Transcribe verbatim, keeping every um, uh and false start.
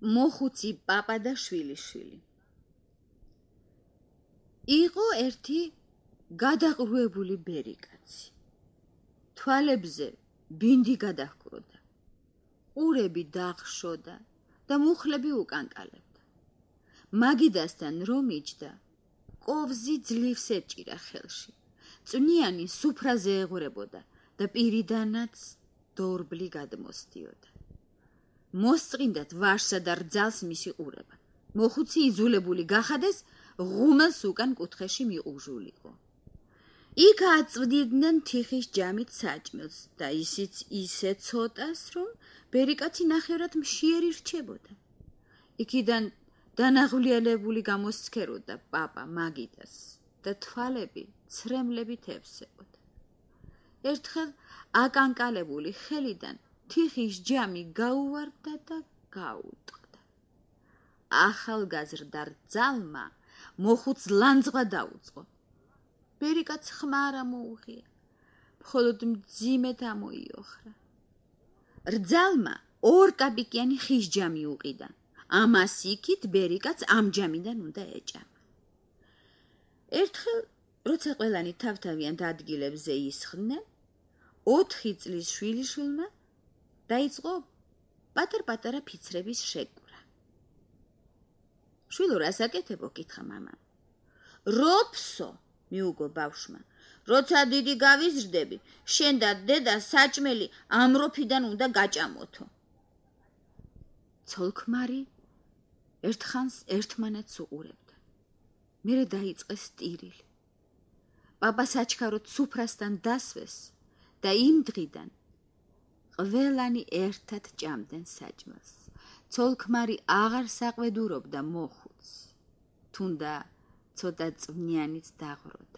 მოხუცი პაპა და შვილიშვილი. იყო ერთი გადაყრუებული ბერიკაცი. თვალებზე ბინდი გადაჰკროდა. ყურები დახშოდა და მუხლები უკანკალებდა. მაგიდასთან რომ იჯდა, კოვზი ძლივს ეჭირა ხელში. წვნიანი სუფრაზე ეღვრებოდა და პირიდანაც დორბლი გადმოსდიოდა. მოსწყინდათ ვაშსა და რძალს მისი ყურება. მოხუცი იძულებული გახადეს, ღუმელს უკან კუთხეში მიყუჟულიყო. იქ აწვდიდნენ თიხის ჯამით საჭმელს და ისიც ისე ცოტას, რომ ბერიკაცი ნახევრად მშიერი რჩებოდა. იქიდან დანაღვლიანებული გამოსცქეროდა პაპა მაგიდას და თვალები ცრემლებით ევსებოდა. ერთხელ აკანკალებული ხელიდან თიხის ჯამი გაუვარდა და გაუტყდა. ახალგაზრდა რძალმა მოხუც ლანძღვა დაუწყო. ბერიკაც ხმა არ ამოუღია, მხოლოდ მძიმედ ამოიოხრა. რძალმა ორ კაპიკიანი ხის ჯამი უყიდა. ამას იქით ბერიკაც ამ ჯამიდან უნდა ეჭამა. ერთხელ, როცა ყველანი თავთავიანთ ადგილებზე ისხდნენ, ოთხი წლის შვილიშვილმა დაიწყო პატარ-პატარა ფიცრების შეკვრა. შვილო, რას აკეთებო? კითხა მამამ. როფსო, მიუგო ბავშვმა, როცა დიდი გავიზრდები, შენ და დედა საჭმელი ამ როფიდან უნდა გაჭამოთო. ცოლ-ქმარი ერთხანს ერთმანეთს უყურებდა. მერე დაიწყეს ტირილი. პაპა საჩქაროდ სუფრასთან დასვეს და იმ დღიდან ყველანი ერთად ჭამდნენ საჭმელს. ცოლ-ქმარი აღარ საყვედურობდა მოხუცს, თუნდა ცოტა წვნიანიც დაღვროდა.